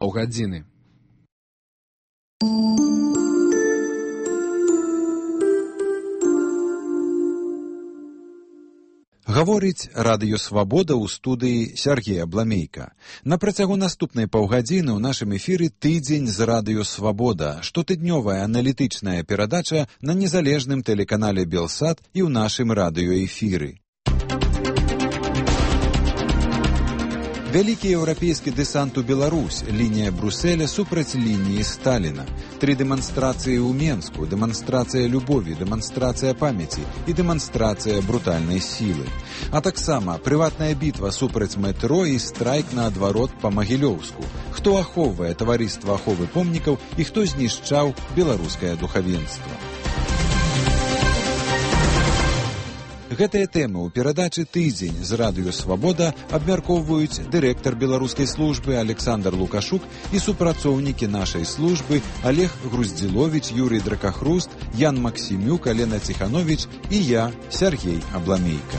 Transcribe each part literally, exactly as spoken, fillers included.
Паўгадзіны. Гаворыць радыё «Свабода» ў студыі Сяргея Бламейка. На працягу наступнай паўгадзіны ў нашым эфіры тыдзень з радыё «Свабода», штотыднёвая аналітычная перадача на незалежным тэлеканале «Белсат» і ў нашым радыёэфіры. Вялікі еўрапейскі дэсант у Беларусь, лінія Брусэля супраць лініі Сталіна. Тры дэманстрацыі ў Менску, дэманстрацыя любові, дэманстрацыя памяці і дэманстрацыя брутальнай сілы. А таксама прыватная бітва супраць метро і страйк наадварот па Магілёўску. Хто ахоўвае таварыства аховы помнікаў і хто знішчаў беларускае духавенства. Гэтыя тэмы ў перадачы «Тыдзень» з радыё «Свабода» абмяркоўваюць дырэктар беларускай службы Александр Лукашук і супрацоўнікі нашай службы Олег Груздзіловіч, Юрый Дракахруст, Ян Максімюк, Алена Ціхановіч і я, Сяргей Абламейка.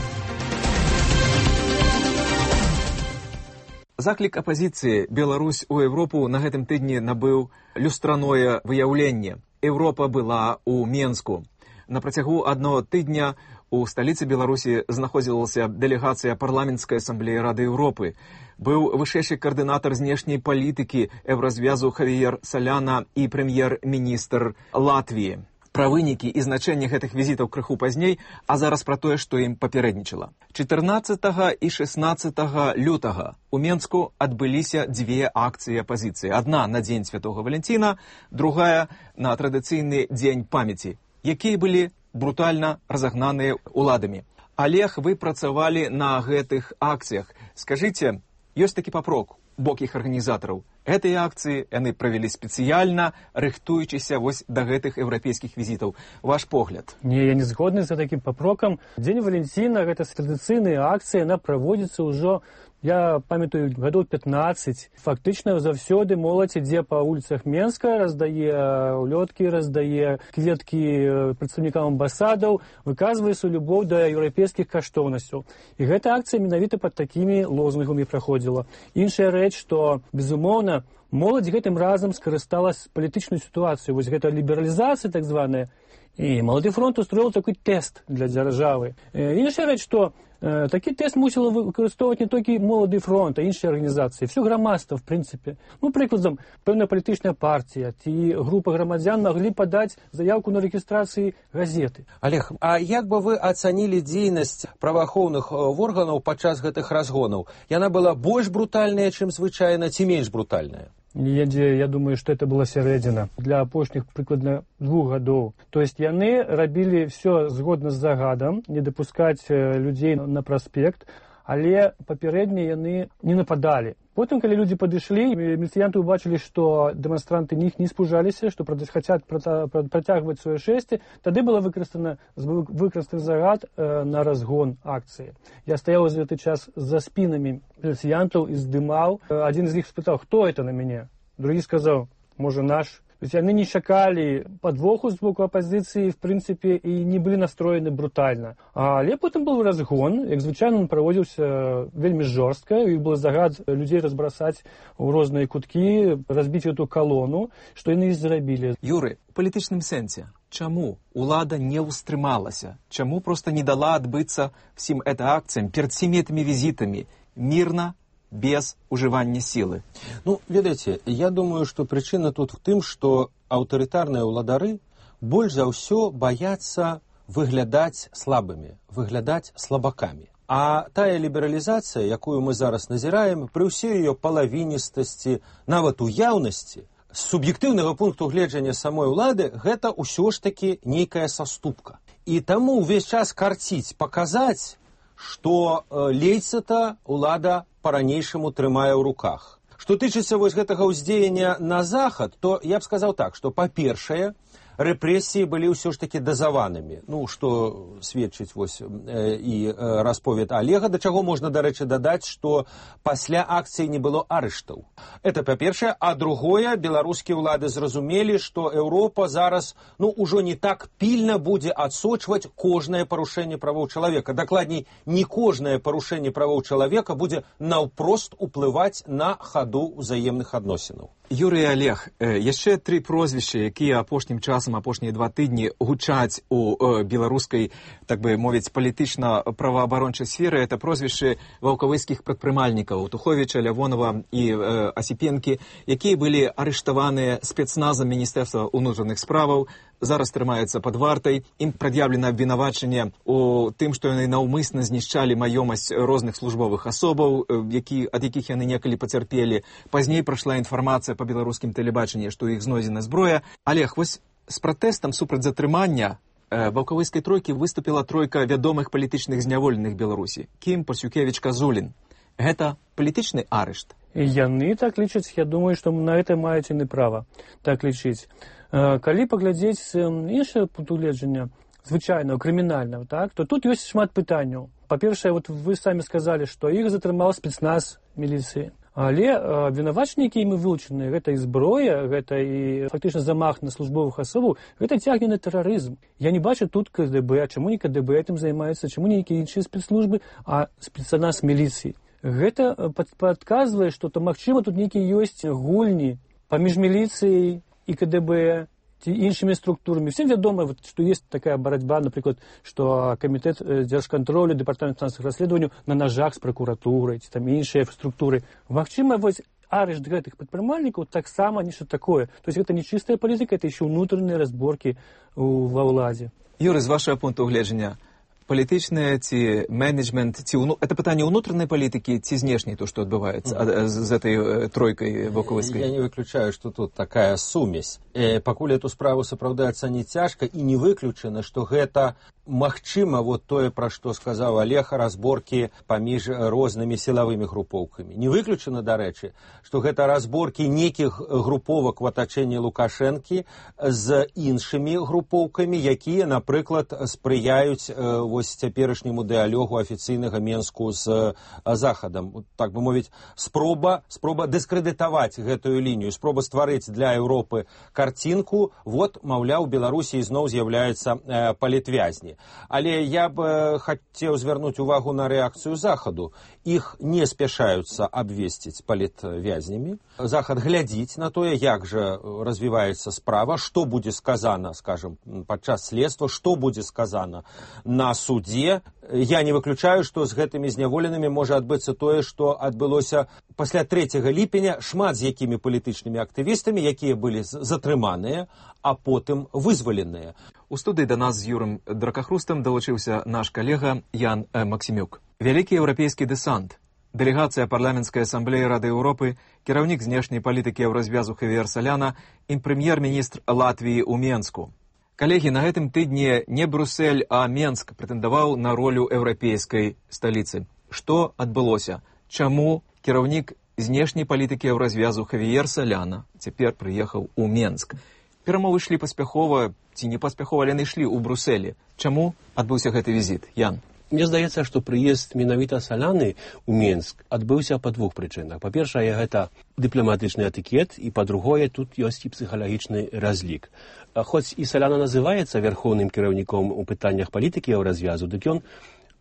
Заклік апазіцыі «Беларусь у Европу» на гэтым тыдні набыў люстраное выяўленне. Еўропа была ў Менску. На працягу аднаго тыдня у сталіцы Беларусі знаходзілася дэлегацыя парламенцкай асамблеі Рады Еўропы. Быў вышэйшы каардынатар знешняй палітыкі еўразвязу Хавіер Саляна і прэм'ер-міністр Латвіі. Пра вынікі і значэнне гэтых візітаў крыху пазней, а зараз пра тое, што ім папярэднічала. чатырнаццатага і шэснаццатага лютага у Менску адбыліся дзве акцыі апазіцыі. Адна на дзень Святога Валянціна, другая на традыцыйны дзень памяці, якія былі брутальна разагнаныя уладамі. Олег, вы працавалі на гэтых акцыях. Скажыце, ёсць такі папрок у бок іх арганізатараў. Гэтыя акцыі яны правялі спецыяльна, рыхтуючыся вось да гэтых еўрапейскіх візітаў. Ваш погляд? Не, я не згодны за такім папрокам. Дзень Валянціна, гэта традыцыйная акцыя, яна праводзіцца ўжо, я памятаю, гадоў пятнаццаць. Фактычна заўсёды моладзь ідзе па вуліцах Менска, раздае улёткі, раздае кветкі прадстаўнікам амбасадаў, выказвае сваю любоў да еўрапейскіх каштоўнасцяў. І гэта акцыя менавіта пад такімі лозунгамі праходзіла. Іншая рэч, што, безумоўна, моладзь гэтым разам скарысталась палітычную сітуацыю. Вось гэта лібералізацыя так званая. І Малады фронт устроіў такой тэст для дзяржавы. Іншая рэч, што э, такі тэст мусіла выкарыстоўваць не толькі Малады фронт, а іншыя арганізацыі. Всё грамадства, в прынцыпе. Ну, прыкладам, пэўная палітычная партія ці група грамадзян маглі падаць заявку на рэгістрацыі газеты. Олег, а як бы вы ацанілі дзейнасць праваахоўных органаў падчас гэтых разгонаў? Яна была больш брутальная, чым звычайна, ці менш брутальная? Я, я думаю, што это была сярэдзіна для апошніх прыкладна двух гадоў. То есть яны рабілі все згодна з загадам, не дапускаць людзей на праспект, але папярэдне яны не нападалі. Потым, калі людзі падышлі, міліцыянты ўбачылі, што дэманстранты них не спужаліся, што хацяць працягваць сваё шэсце, тады была выкарыстана выкарыстаны загад э, на разгон акцыі. Я стаяў за гэты час за спінамі міліцыянтаў і здымаў. Адзін з іх спытаў, хто это на мяне? Другі сказаў, можа, наш. То есть яны не чакалі падвоху з боку апазіцыі, в прынцыпе, і не былі настроены брутальна. Але потым быў разгон, як звычайна, он праводзіўся вельмі жорстка, і быў загад людзей разбрасаць у розныя куткі, разбіць эту калону, што яны і зрабілі. Юры, у палітычным сэнсе, чаму улада не ўстрымалася? Чаму проста не дала адбыцца всім гэта акцыям, перад всімі гэтымі візітамі, мірна, без ужывання сілы? Ну, ведаеце, я думаю, што прычына тут в тым, што аўтарытарныя ўладары больш за ўсё баяцца выглядаць слабымі, выглядаць слабакамі. А тая лібералізацыя, якую мы зараз назіраем, пры ўсёй ее палавіністасці, нават уяўнасці, з суб'ектыўнага пункту гледжання самой улады, гэта ўсё ж такі нейкая саступка. І таму ўвесь час карціць, паказаць, што лейца-то улада па-ранейшаму трымае ў руках. Што тычыцца вось гэтага ўздзеяння на захад, то я б сказаў так, што, па-першае, рэпрэсіі былі ўсё ж такі дазаванымі. Ну, што сведчыць вось і расповед Олега, да чаго можна, дарэчы, дадаць, што пасля акцыі не было арыштаў. Это па-першае, а другое, беларускія ўлады зразумелі, што Еўропа зараз, ну, ужо не так пільна будзе адсочваць кожнае парушэнне правоў чалавека. Дакладней, не кожнае парушэнне правоў чалавека будзе наўпрост уплываць на хаду ўзаемных адносінаў. Юрый і Олег, яшчэ тры прозвішчы, якія апошнім часам, апошнія два тыдні гучаць у беларускай, так бы мовіць, палітычна-праваабарончай сферы, это прозвішчы ваўкавыскіх прадпрымальнікаў Туховіча, Лявонова і Асіпенкі, якія былі арыштаваныя спецназам Міністэрства ўнутраных справаў, зараз трымаюцца пад вартай. Ім прад'яўлена абвінавачанне у тым, што яны наўмысна знішчалі маёмасць розных службовых асобаў, які, ад якіх яны некалі пацярпелі. Пазней прайшла інфармацыя па беларускім тэлебачанні, што ў іх знойдзена зброя. Олег, вось з пратэстам супраць затрымання ваўкавыскай тройкі выступіла тройка вядомых палітычных зняволеных Беларусі. Кім, Пасюкевіч, Казулін. Гэта палітычны арышт? Яны так лічаць, я думаю, што на гэта маюць яны права так лічыць. Калі паглядзець іншае пункт гледжання, звычайного, крымінального, так, то тут ёсць шмат пытанняў. Па-першае, вот вы самі сказалі, што іх затрымаў спецназ міліцыі. Але абвінавачанні, якія імі вылучаны, гэта і зброя, гэта і фактычна замах на службовых асобаў, гэта цягне на тэрарызм. Я не бачу тут КДБ, а чаму не КДБ этим займаецца, чаму не нейкія іншыя спецслужбы, а спецназ міліцыі. Гэта падказвае, што то магчыма тут нейкія ёсць гульні паміж міліцыяй і КДБ, ці іншымі структурамі. Всем вядома, што ёсць такая барацьба, напрыклад, што камітэт дзяржкантролю, дэпартамент фінансавых расследаванняў на нажах з пракуратурай, ці там іншыя структуры. Магчыма, вось арышт гэтых прадпрымальнікаў таксама нешта такое. То есть гэта не чыстая палітыка, это еще ўнутраныя разборкі ва ўладзе. Юрый, з вашага пункту гледжання, палітычныя ці менеджмент, ці уну... это пытанне ўнутранай палітыкі ці знешняй, то, што адбываецца mm-hmm. з этой тройкай ваўкавыскай? Я не выключаю, што тут такая сумесь. Э, пакуль эту справу сапраўды ацаніць цяжка, і не выключана, што гэта магчыма, вот тое, пра што сказаў Олег, разборкі паміж рознымі сілавымі групоўкамі. Не выключана, дарэчы, што гэта разборкі нейкіх груповак в атачэнні Лукашэнкі з іншымі групоўкамі, якія, напрыклад, спрыяюць э, вось цяперашняму дыалогу афіцыйнага Менску з Захадам. Так бы мовіць, спроба, спроба дыскрэдытаваць гэтую лінію, спроба стварыць для Еўропы карцінку, вот, маўляў, Беларусі зноў з'яўляецца э, палітвязні. Але я б хацеў звярнуць увагу на рэакцыю Захаду. Іх не спяшаюцца абвесціць палітвязнямі. Захад глядзіць на тое, як жа развіваецца справа, што будзе сказана, скажем, падчас следства, што будзе сказана на судзе. Я не выключаю, што з гэтымі зняволенымі можа адбыцца тое, што адбылося пасля трэцяга ліпеня, шмат з якімі палітычнымі актывістамі, якія былі затрыманыя, а потым вызваленыя. У студыі да нас з Юрым Дракахрустам далучыўся наш калега Ян Максімюк. Вялікі еўрапейскі дэсант, дэлегацыя парламенцкай асамблеі Рады Еўропы, кіраўнік знешняй палітыкі еўразвязу Хавіер Саляна і прэм'ер-міністр Латвіі ў Менску. Калегі, на гэтым тыдні не Брюссель, а Менск прэтэндаваў на ролю еўрапейскай сталіцы. Што адбылося? Чаму кіраўнік знешняй палітыкі еўразвязу Хавіер Саляна цяпер прыехаў у Менск? Перамовы ішлі паспяхова, ці не паспяхова, яны ішлі ў Брюсселі. Чаму адбыўся гэты візіт? Ян? Мне здаецца, што прыезд менавіта Саляны ў Менск адбыўся па двух прычынах. Па-першае, гэта дыпламатычны этыкет, і па-другое, тут ёсць і псіхалагічны разлік. Хоць і Саляна называецца вярхоўным кіраўніком у пытаннях палітыкі еўразвязу, дык ён,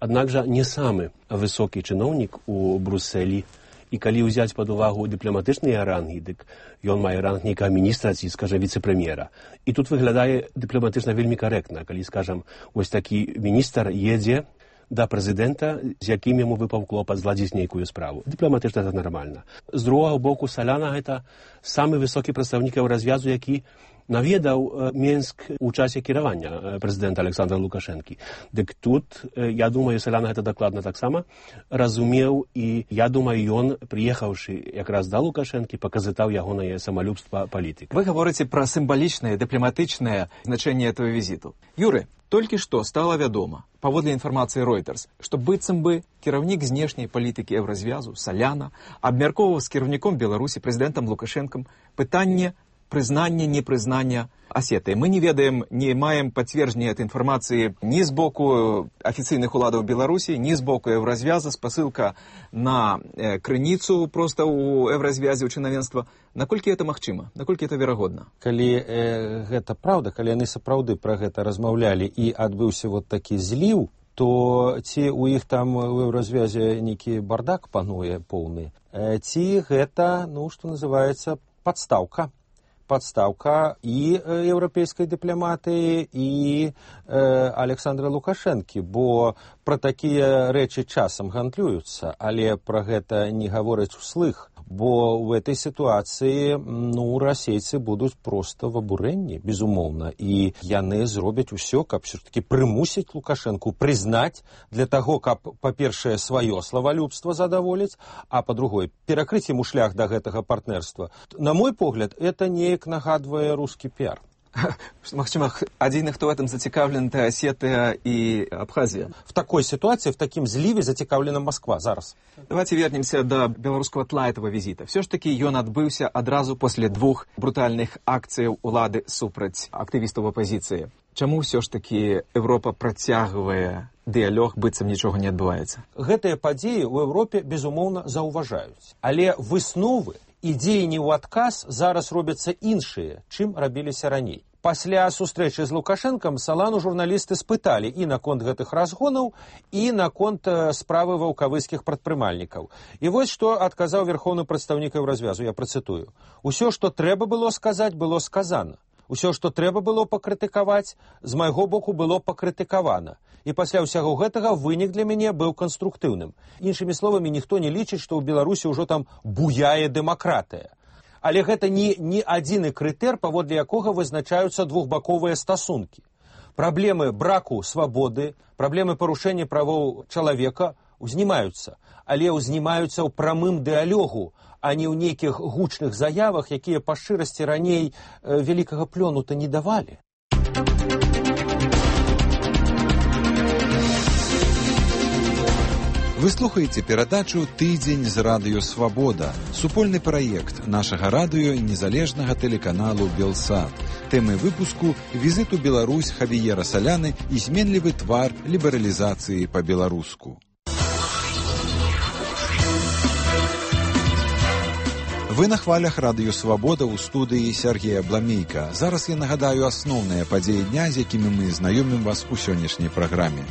аднак жа, не самы высокі чыноўнік у Брюсселі. І калі ўзяць пад увагу дыпламатычныя рангі, дык ён мае ранг нейкага міністра ці, скажа, віцэ-прэм'ера. І тут выглядае дыпламатычна вельмі карэктна, калі, скажам, вось такі міністр едзе да прэзідэнта, з якім яму выпаў клопат зладзіць нейкую справу. Дыпламатычна гэта нармальна. З другога боку, Саляна гэта самы высокі прадстаўнік еўразвязу, які наведаў Менск у часе кіравання прэзідэнта Александра Лукашэнкі. Дык тут, я думаю, Саляна гэта дакладна таксама разумеў, і я думаю, ён, прыехаўшы якраз да Лукашэнкі, паказытаў ягонае самалюбства палітык. Вы гаворыце пра сімвалічнае, дыпламатычнае значэнне этого візіту. Юры, толькі што стала вядома, паводле інфармацыі Reuters, што быццам бы кіраўнік знешняй палітыкі еўразвязу Саляна абмяркоўваў з кіраўніком Беларусі, прэзідэнтам Лукашэнкам, пытанне прызнання, непрызнання Асетыі. Мы не ведаем, не маем пацверджання этой інфармацыі ні з боку афіцыйных уладаў Беларусі, ні з боку Еўразвяза, спасылка на э, крыніцу проста ў Еўразвязе, ў чынавенства. Наколькі это магчыма? Наколькі это верагодна? Калі э, гэта праўда, калі яны сапраўды пра гэта размаўлялі і адбыўся вот такі зліў, то ці ў іх там у Еўразвязе нейкі бардак пануе поўны, э, ці гэта, ну, што называецца, падстаўка. Подставка і еўрапейскай дыпламатыі, і э, Александра Лукашэнкі, бо пра такія рэчы часам гандлююцца, але пра гэта не гавораць услых, бо ў этой сітуацыі, ну, расейцы будуць проста в абурэнні, безумоўна, і яны зробяць усё, каб все-таки прымусіць Лукашэнку прызнаць для таго, каб, па-першае, сваё славалюбства задаволіць, а па-другое, перакрыць ему шлях да гэтага партнерства. На мой погляд, это неяк нагадвае рускі піар. Магчыма, адзіны, хто в этом зацікаўлен, это Осетия и Абхазия. В такой ситуации, в таким зливе зацікаўлена Москва зараз. Давайте вернемся до белорусского тла этого визита. Все ж таки ён адбыўся адразу после двух брутальных акцыяў улады супраць актывістаў апозіцыі. Чаму все ж таки Европа працягвае дыялог, быццам нічога не адбываецца? Гэтыя падзеі ў Европе, безумоўна, заўважаюць. Але высновы і дзеянні ў адказ зараз робяцца іншыя, чым рабіліся раней. Пасля сустрэчы з Лукашэнкам Салану журналісты спыталі і наконт гэтых разгонаў, і наконт справы ваўкавыскіх прадпрымальнікаў. І вось што адказаў верхоўны прадстаўнік Еўразвязу, я працытую. Усё, што трэба было сказаць, было сказана. Усё, што трэба было пакрытыкаваць, з майго боку было пакрытыкавана. І пасля ўсяго гэтага вынік для мяне быў канструктыўным. Іншымі словамі, ніхто не лічыць, што ў Беларусі ўжо там буяе дэмакратыя. Але гэта не, не адзіны крытэр, паводле якога вызначаюцца двухбаковыя стасункі. Праблемы браку свабоды, праблемы парушэння правоў чалавека узнімаюцца, але узнімаюцца ў прамым дыялогу, а не ў нейкіх гучных заявах, якія па шчырасці раней э, вялікага плёну-то не давалі. Вы слухаеце перадачу «Тыдзень з радыё Свабода», супольны праект нашага радыё і незалежнага тэлеканалу «Белсат». Тэмы выпуску «Візит у Беларусь Хавіера Саляны і зменлівы твар лібералізацыі па-беларуску». Вы на хвалях радыё Свабода ў студыі Сергея Бламейка. Зараз я нагадаю асноўныя падзеі дня, з якімі мы знаёмім вас у сённяшняй праграме.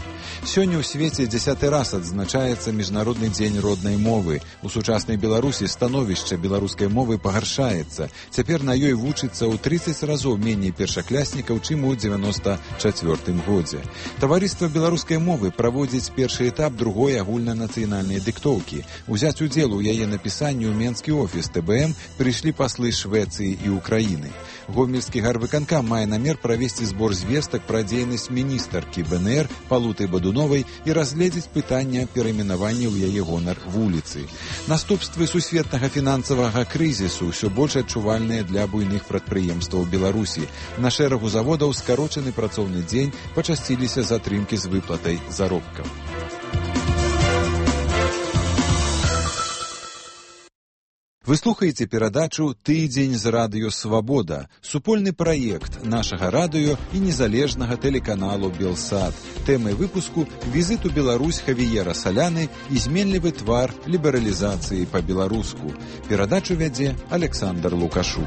Сёння ў свеце дзясяты раз адзначаецца Міжнародны дзень роднай мовы. У сучаснай Беларусі становішча беларускай мовы пагаршаецца. Цяпер на ёй вучыцца ў трыццаць разоў меней першакляснікаў, чым у дзевяноста чацвёртым годзе. Таварыства беларускай мовы праводзіць першы этап другой агульнанацыянальнай дыктоўкі. Узяць удзел у яе напісанні ў менскі офіс тэ бэ эм прыйшлі паслы Швецыі і Украіны. Гомельскі гарвыканкам мае намер правесці збор звестак пра дзейнасць міністаркі бэ эн ер Палуты Бадуновай і разгледзець пытання перайменавання ў яе гонар вуліцы. Наступствы сусветнага фінансавага крызісу ўсё больш адчувальныя для буйных прадпрыемстваў Беларусі. На шэрагу заводаў скарочаны працоўны дзень, пачасціліся затрымкі з выплатай заробкаў. Вы слухаеце перадачу «Тыдзень з радыё Свабода», супольны праект нашага радыё і незалежнага тэлеканалу «Белсат». Тэмай выпуску «Візит у Беларусь Хавіера Саляны і зменлівы твар лібералізацыі па-беларуску». Перадачу вядзе Александр Лукашук.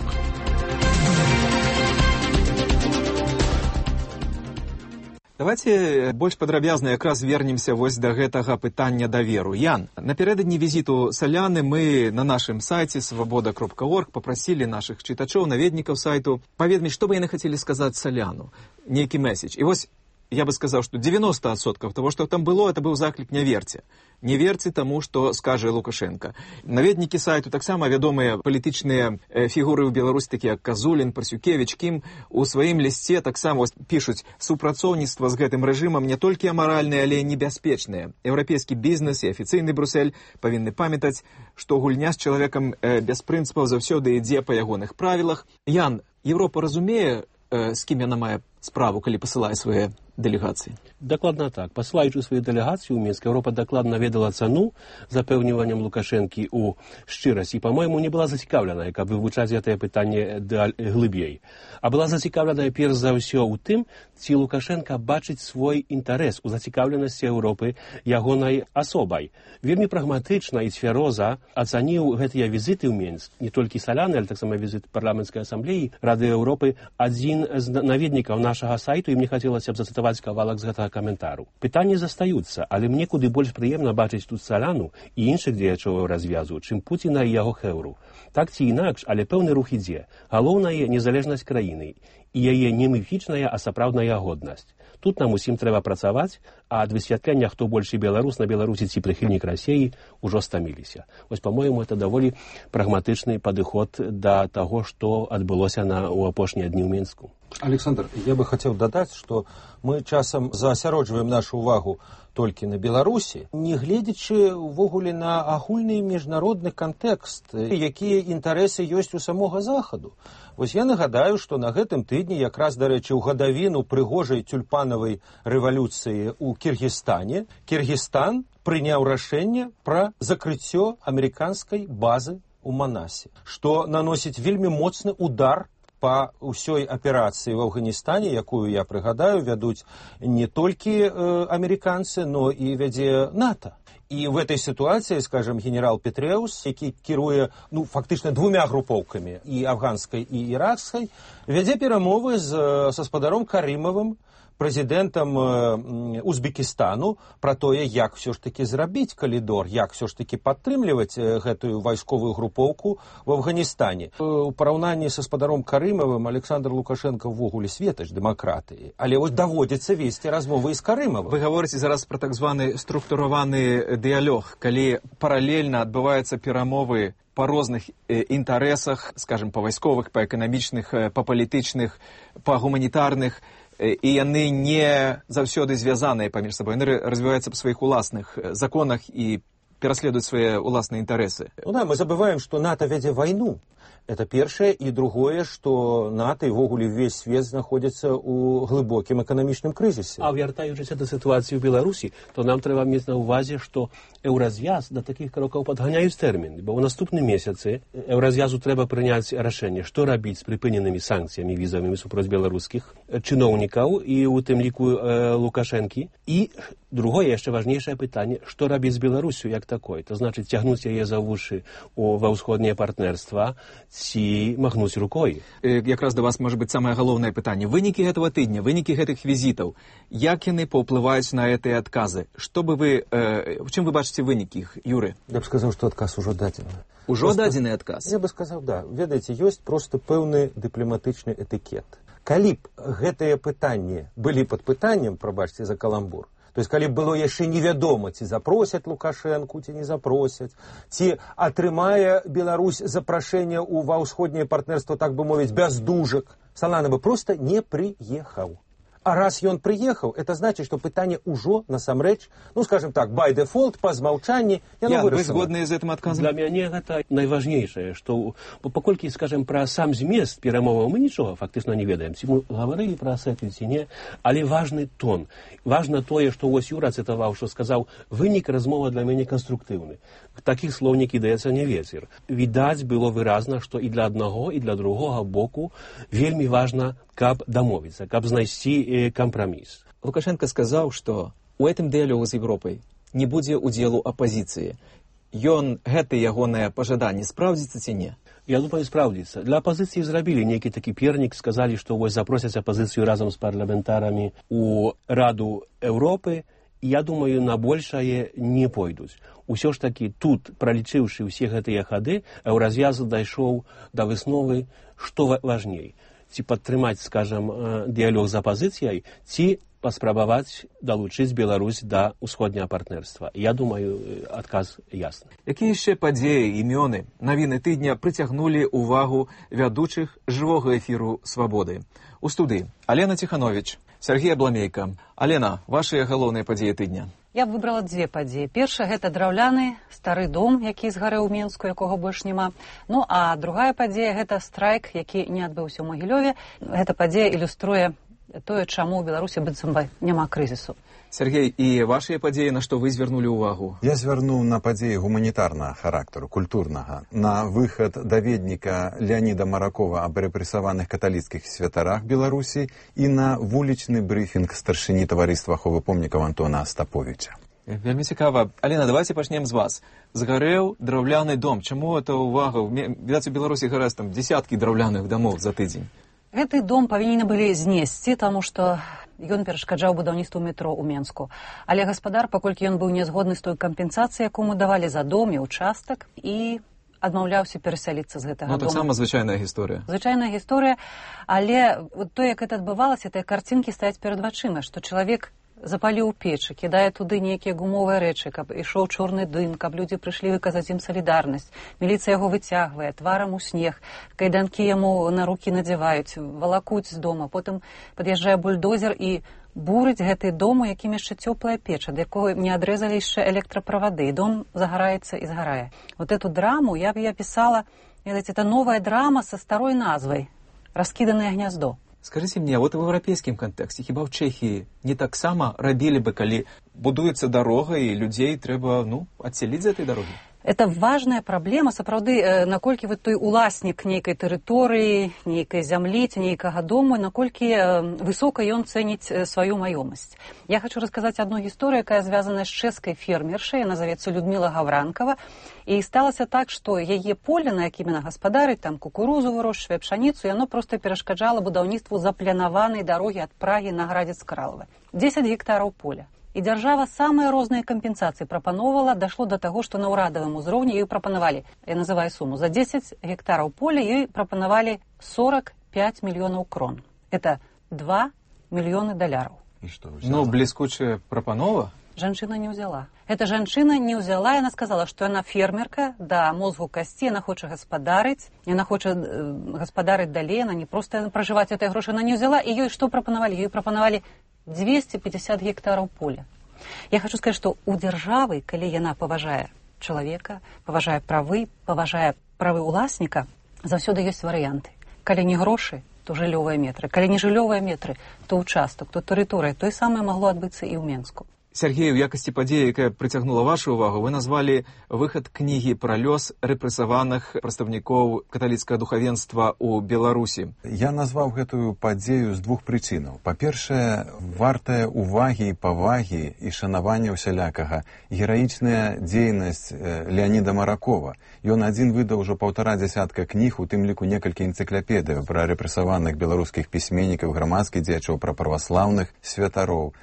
Давайте больш падрабязна якраз вернемся вось да гэтага пытання даверу. Ян, напярэдадні візіту Саляны мы на нашым сайце свабода кропка орг папрасілі нашых чытачоў, наведнікаў сайту паведаміць, што бы яны хацелі сказаць Саляну, нейкі месседж. І вось я бы сказаў, што дзевяносто адсоткаў того, што там было, это быў заклік не верце. Не верце таму, што скажа Лукашенко. Наведнікі сайту таксама вядомыя палітычныя фігуры ў Беларусі, такія як Казулін, Парсюкевіч, Кім, у сваім лісце таксама пішуць: супрацоўніцтва з гэтым рэжымам не толькі амаральнае, але і небяспечнае. Еўрапейскі бізнес і афіцыйны Брюссель павінны памятаць, што гульня з чалавекам без прынцыпаў заўсёды ідзе па ягоных правілах. Ян, Еўропа разумее, з кім яна мае справу, калі пасылае свае дэлегацыі? Дакладна так. Пасылаючы сваю дэлегацыю ў Мінск, Еўропа дакладна ведала цану запэўніваннем Лукашэнкі ў шчырасці. І, па-мойму, не была зацікаўленая, каб вывучаць гэтае пытанне глыбей. А была зацікаўленая перш за ўсё ў тым, ці Лукашенка бачыць свой інтарэс у зацікаўленасці Еўропы ягонай асобай. Вельмі прагматычна і цвяроза ацаніў гэтыя візіты ў Мінск, не толькі Саляны, але таксама візіт парламенцкай асамблеі Рады Еўропы, адзін з наведнікаў нашага сайту, і мне хацелася б зацытаваць кавалак з гэтага каментару. Пытанні застаюцца, але мне куды больш прыемна бачыць тут Саляну і іншых дзеячоў развязу, чым Пуціна і яго хэўру. Так ці інакш, але пэўны рух ідзе. Галоўнае незалежнасць краіны і яе не міфічная, а сапраўдная годнасць. Тут нам усім трэба працаваць, а ад высвятлення, хто большы беларус на Беларусі ці прыхільнік Расіі, ужо стаміліся. Вось, па-мойму, это даволі прагматычны падыход да таго, што адбылося на, у апошнія дні ў Мінску. Александр, я бы хотел додать, что мы часам заасяроджваем нашу увагу толькі на Беларусі, не гледзячы ўвогуле на агульны міжнародны кантэкст, якія інтарэсы ёсць у самога Захаду. Вось я нагадаю, што на гэтым тыдні, якраз, дарэчы, ў гадавіну прыгожай тюльпанавай рэвалюцыі ў Кіргізстане, Кіргізстан прыняў рашэнне пра закрыццё амерыканскай базы ў Манасе, што наносіць вельмі моцны удар па ўсёй аперацыі в Афганістане, якую, я прыгадаю, вядуць не толькі э, амерыканцы, но і вядзе НАТО. І в этой ситуации, скажем, генерал Петреус, які кіруе, ну, фактычна двумя групоўкамі, і афганскай, і іракскай, вядзе перамовы з, са спадаром Карымавым, прэзідэнтам Узбекістану, пра тое, як все ж таки зрабіць калідор, як все ж таки падтрымліваць гэтую вайсковую групоўку в Афганістане. У параўнанні са спадаром Карымавым Александр Лукашенко ввогуле светач дэмакратыі, але вось даводзіцца весці размовы з Карымавым. Вы гаворыце зараз пра так званы структураваны дыялог, калі паралельна адбываюцца перамовы па розных інтарэсах, скажем, па вайсковых, па эканамічных, па палітычных, па гуманітарных, і яны не заўсёды звязаныя паміж сабой, яны развіваюцца па сваіх уласных законах і пераследуюць свае уласныя інтарэсы. Ну да, мы забываем, што НАТО вядзе вайну. Это першае, і другое, што НАТО і ввогуле ўвесь свет знаходзіцца ў глыбокім эканамічным крызісе. А вяртаючыся да сітуацыі ў Беларусі, то нам трэба мець на ўвазе, што еўразвяз да такіх крокаў падганяюць тэрмін, бо ў наступным месяцы еўразвязу трэба прыняць рашэнне, што рабіць з прыпыненымі санкцыямі візавымі супроць беларускіх чыноўнікаў і у тым ліку э, Лукашэнкі. І другое, яшчэ важнейшае пытанне, што рабіць з Беларусю як такой, то значыць цягнуць яе за вушы у, ва ўсходняе партнерства, ці махнуць рукой. Якраз да вас можа быць самае галоўнае пытанне. Вынікі гэтага тыдня, вынікі гэтых візітаў, як яны паўплываюць на гэтыя адказы? Што бы вы, э, в чым вы бачыце вынікі іх, Юры? Я б сказаў, што адказ ужо дадзены. Ужо просто дадзены адказ? Я бы сказаў, да. Ведаеце, ёсць проста пэўны дыпламатычны этыкет. Калі б гэтыя пытанні былі пад пытаннем, прабачце за каламбур, то есть, калі было яшчэ невядома, ці запросяць Лукашэнку, ці не запросяць, ці атрымае Беларусь запрашэнне ў ва ўсходняе партнерство, так бы мовіць, без дужак, Салана бы проста не прыехаў. А раз ён прыехаў, это значыць, што пытанне ўжо насамрэч, ну, скажем так, by default, па змаўчанні, яно вырашана. Вы згодныя з гэтым адказам? Для мяне гэта найважнейшае, што паколькі, скажем, пра сам змест перамоваў мы нічога фактычна не ведаем. Ці мы гаварылі пра асету, ці не, але важны тон. Важна тое, што вось Юра цытаваў, што сказаў, вынік размова для мяне канструктыўны. Такіх слоў не кідаецца не вецер. Відаць было выразна, што і для аднаго, і для другога боку вельмі важна, каб дамовіцца, каб знайсці кампраміс. Лукашенко сказаў, што у гэтым дыялогу з Европай не будзе удзелу апазіцыі. Ён, гэта ягонае пажаданне, спраўдзіцца ці не? Я думаю, спраўдзіцца. Для апазіцыі зрабілі нейкі такі пернік, сказалі, што вось запросяць апазіцыю разам з парламентарамі у Раду Еўропы. Я думаю, на большае не пойдуць. Усё ж такі тут, пралічыўшы ўсе гэтыя хады, еўразвяз дайшоў да высновы, што важней. Ці падтрымаць, скажам, дыялог з апазіцыяй, ці паспрабаваць далучыць Беларусь да ўсходняга партнерства. Я думаю, адказ ясны. Якія яшчэ падзеі, імёны, навіны тыдня прыцягнулі ўвагу вядучых жывога эфіру «Свабоды»? У студыі Алена Ціхановіч, Сергей Абламейка. Алена, вашыя галоўныя падзеі тыдня? Я б выбрала дзве падзеі. Першая – гэта драўляны стары дом, які згарэў у Мінску, якога больш няма. Ну, а другая падзея – гэта страйк, які не адбыўся ў Магілёве. Гэта падзея ілюструе тое, чаму ў Беларусі быццам бы няма крызісу. Сергей, і вашыя падзеі, на што вы звярнулі ўвагу? Я звярнуў на падзеі гуманітарнага характару, культурнага, на выхад даведніка Леаніда Маракова аб рэпрэсаваных каталіцкіх святарах Беларусі і на вулічны брыфінг старшыні таварыства аховы помнікаў Антона Астаповіча. Вельмі цікава. Алена, давайте пачнем з вас. Згарэў драўляны дом. Чаму это ўвага? Відаць, у Беларусі гарэз там дзесяткі драўляных дамоў за тыдзень. Гэты дом павінны былі знесці, таму што ён перашкаджаў будаўніцтву метро ў Менску. Але гаспадар, паколькі ён быў нязгодны з той кампенсацыяй, якую му давалі за дом і участак, і адмаўляўся перасяліцца з гэтага дома. Ну, таксама дома. звычайная гісторыя. Звычайная гісторыя, але то, як гэта адбывалася, тыя карцінкі стаяць перад вачыма, што чалавек запаліў печы, кідае туды нейкія гумовыя рэчы, каб ішоў чорны дым, каб людзі прыйшлі выказаць ім салідарнасць. Міліцыя яго выцягвае, тварам у снег, кайданкі яму на рукі надзяваюць, валакуць з дома, потым пад'язджае бульдозер і бурыць гэты дом, у якім яшчэ цёплая печ, ад якога не адрэзалі яшчэ электраправады, і дом загараецца і згарае. Вот эту драму я б я пісала, ведаеце, это новая драма са старой назвай «Раскіданае гняздо». Скажите мне, вот в европейском контексте, хіба в Чехии не так само робили бы, коли будуется дорога и людей треба, ну, отселить з этой дороги? Это важная праблема, сапраўды, наколькі вы той уласнік нейкай тэрыторыі, нейкай зямлі, ці нейкага дому, наколькі высока ён цэніць сваю маёмасць. Я хочу расказаць одну гісторыю, якая звязана з чэшскай фермершай, яна завецца Людмила Гавранкова, і сталася так, што яе поле, на якім яна гаспадарыць, там кукурузу вырошчвае, пшаніцу, яно проста перашкаджала будаўніцтву запланаванай дарогі ад Прагі на Градзец-Кралава. дзесяць гектараў поля. І дзяржава самыя розныя кампенсацыі прапаноўвала, дашло да таго, што на ўрадавым узроўні ёй прапанавалі, я называю суму, за дзесяць гектараў поля ёй прапанавалі сорок пять мільёнаў крон. Это два мільёны даляраў. І што, ну, бліскучая прапанова? Жанчына не ўзяла. Эта жанчына не ўзяла, яна сказала, што яна фермерка, да мозгу касці, яна хоча гаспадарыць, яна хоча э, гаспадарыць далей, яна не проста пражываць этой грошы, яна не ўзяла, і ёй што прапанавалі? Ёй прапанавалі двести пятьдесят гектараў поля. Я хочу сказаць, што у дзяржавы, калі яна паважае чалавека, паважае правы, паважае правы ўласніка, заўсёды ёсць варыянты. Калі не грошы, то жыллёвыя метры. Калі не жыллёвыя метры, то ўчастак, то тэрыторыя. Тое самае магло адбыцца і ў Менску. Сергей, у якасці падзеі, якая прыцягнула вашу ўвагу, вы назвалі выхад кнігі пра лёс рэпрэсаваных прадстаўнікоў каталіцкага духавенства ў Беларусі. Я назваў гэтую падзею з двух прычынаў. Па-першае, вартая увагі і павагі і шанавання ўсялякага гераічная дзейнасць Леаніда Маракова. Ён адзін выдаў ужо паўтара дзясятка кніг, у тым ліку некалькі энцыклапедыяў пра рэпрэсаваных беларускіх пісьменнікаў, грамадскіх дзеячоў, пра праваслаўных святароў.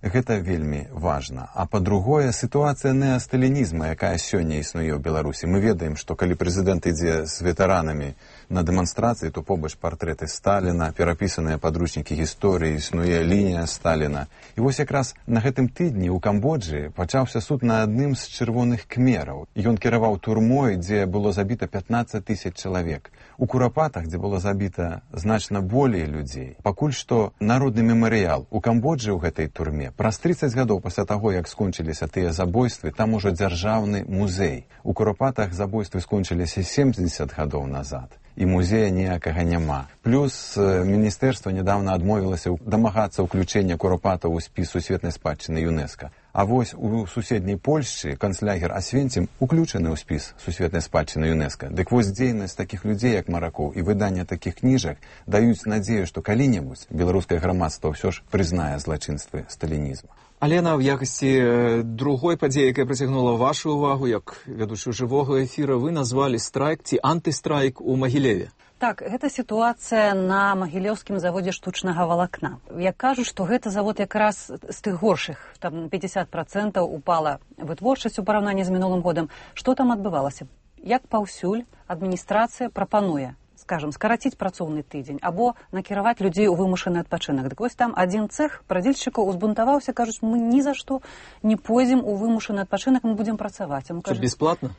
Гэта вельмі важна. А па-другое, сітуацыя неасталінізма, якая сёння існуе ў Беларусі. Мы ведаем, што калі прэзідэнт ідзе з ветэранамі на дэманстрацыі, то побач партрэты Сталіна, перапісаныя падручнікі гісторыі, існуе лінія Сталіна. І вось якраз на гэтым тыдні ў Камбоджы пачаўся суд на адным з чырвоных кмераў. Ён кіраваў турмой, дзе было забіта пятнаццаць тысяч чалавек. У Курапатах, дзе было забіта значна болей людзей. Пакуль што народны мемарыял у Камбоджы ў гэтай турме праз трыццаць гадоў пасля таго, як скончыліся тыя забойствы, там ужо дзяржаўны музей. У Курапатах забойствы скончыліся семьдесят гадоў назад. І музея ніякага няма. Плюс міністэрства нядаўна адмовілася дамагацца ўключэння Курапатаў у спіс сусветнай спадчыны ЮНЕСКО. А вось у суседняй Польшчы канцлягер Асвенцім уключаны ў спіс сусветнай спадчыны ЮНЕСКО. Дык вось дзейнасць такіх людзей, як Маракоў, і выданне такіх кніжак даюць надзею, што калі-небудзь беларускае грамадства ўсё ж прызнае злачынствы сталінізма. Алена, в якасці другой падзеі, якая прыцягнула вашу ўвагу, як вядучую жывога эфіра, вы назвалі страйк ці антыстрайк у Магілеве. Так, гэта сітуацыя на магілеўскім заводзе штучнага валакна. Я кажу, што гэта завод якраз з тых горшых, там пятьдесят процентов упала вытворчасць у параўнанні з мінулым годам. Што там адбывалася? Як паўсюль адміністрацыя прапануе, скажем, скараціць працоўны тыдзень або накіраваць людзей у вымушаны адпачынак. Дык вось там адзін цэх прадзельшчыкаў узбунтаваўся, кажуць, мы ні за што не пойдзем у вымушаны адпачынак, мы будзем працаваць. Што, бесплатна?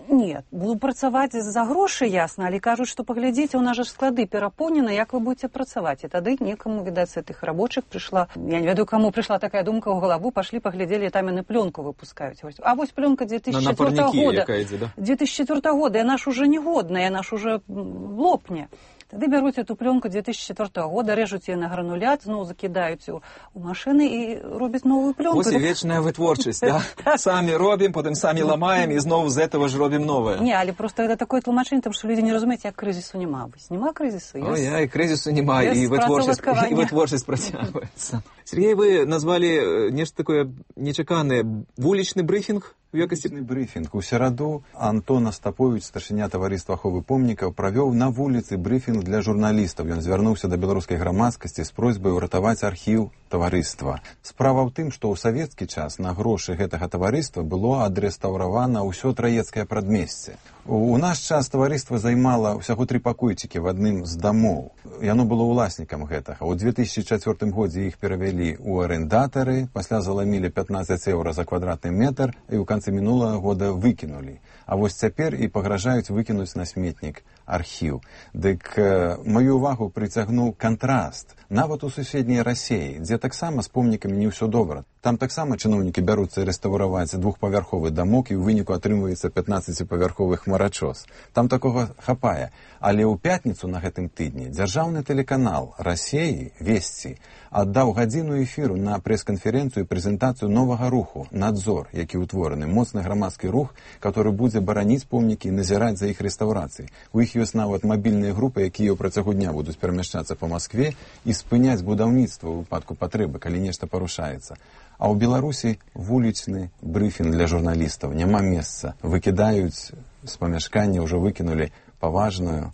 Нет, буду працаваць за грошы, ясна, але кажуць, што паглядзіце, у нас жа склады перапоўнены, як вы будете працаваць. І тады некаму, відаць, з гэтых рабочых прыйшла, я не ведаю, каму прыйшла такая думка ў галаву, пашлі, паглядзелі, там яны пленку выпускаюць. А вось пленка две тысячи четвёртого года. Якая ідзе, да? две тысячи четвёртого года, яна ж уже негодная, яна ж уже лопне. Тады бяруць эту плёнку две тысячи четвёртого года, рэжуць яе на гранулят, зноў закідаюць у, у машыны і робяць новую плёнку. Ось і вечная вытворчасць, да? Самі робім, потым самі ламаем і зноў з этого ж робім новае. Не, але просто это такое тлумачэнне, тому што людзі не разумеюць, як крызісу няма. Нема крызісу. О, я, і крызісу няма, і вытворчасць, і вытворчасць працягваецца. Сергей, вы назвалі нешта такое нечаканае. Вулічны брифінг? Вулічны брифінг. У сераду Антон Остапович, старшыня таварыства аховы помнікаў, правёў на вуліцы брифінг для журналістаў. Ён звярнуўся да беларускай грамадскасці з просьбай уратаваць архіў таварыства. Справа ў тым, што ў савецкі час на грошы гэтага таварыства было адрэстаўравана ўсё траецкае прадмесце. У наш час таварыства займала ўсяго тры пакойчыкі в адным з дамоў. Яно было ўласнікам гэтага. У две тысячи четвёртым годзе іх перавялі ў арэндатары, пасля заламілі пятнадцать еўра за квадратны метр і ў канцы мінулага года выкінулі. А вось цяпер і пагражаюць выкінуць на сметнік архіў. Дык э, маю увагу прыцягнуў кантраст. Нават у суседняй Расіі, дзе таксама з помнікамі не ўсё добра. Там таксама чыноўнікі бяруцца рэстаўраваць двухпавярховы дамок і ў выніку атрымваецца пятнаццаціпавярховы хмарачос. Там такога хапае. Але ў пятніцу на гэтым тыдні дзяржаўны тэлеканал Расіі, Весці, аддаў гадзіну эфіру на прэс-канферэнцыю і прэзентацыю новага руху «Надзор», які ўтвораны, моцны грамадскі рух, который будзе бараніць помнікі і назіраць за іх рэстаўрацыяй. У іх ёсць нават мабільныя групы, якія ў працягу дня будуць перамяшчацца па Маскве і спыняць будаўніцтва ў выпадку патрэбы, калі нешта парушаецца. А ў Беларусі вулічны брыфінг для журналістаў. Няма месца. Выкідаюць з памяшкання, ўжо выкінулі паважную,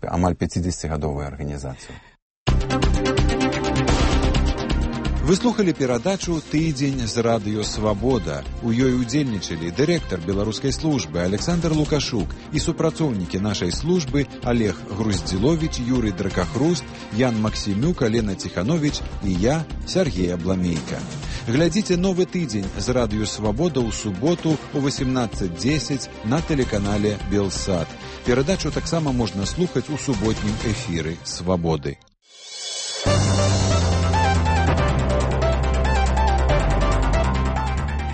амаль пяцідзесяцігадовую арганізацыю. Вы слухали перадачу «Тыдзень з радыё Свабода». У ёй удзельнічалі дырэктар беларускай службы Александр Лукашук і супрацоўнікі нашай службы Олег Груздзіловіч, Юрый Дракахруст, Ян Максімюк, Алена Ціхановіч і я, Сергей Абламейка. Глядзіце новы тыдзень з радыё Свабода ў суботу у восемнадцать десять на тэлеканале Белсат. Перадачу таксама можна слухаць у суботнім эфіры Свабоды.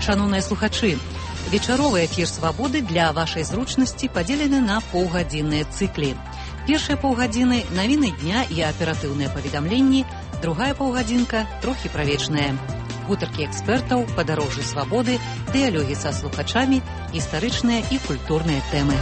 Шановныя слухачы, вечаровы эфір «Свабоды» для вашай зручнасці падзелены на паўгадзінныя цыклі. Першыя паўгадзіны – навіны дня і аператыўныя паведамленні, другая паўгадзінка – трохі пра вечнае. Гутаркі экспертаў, падарожжы свабоды, дыялогі са слухачамі, гістарычныя і культурныя тэмы.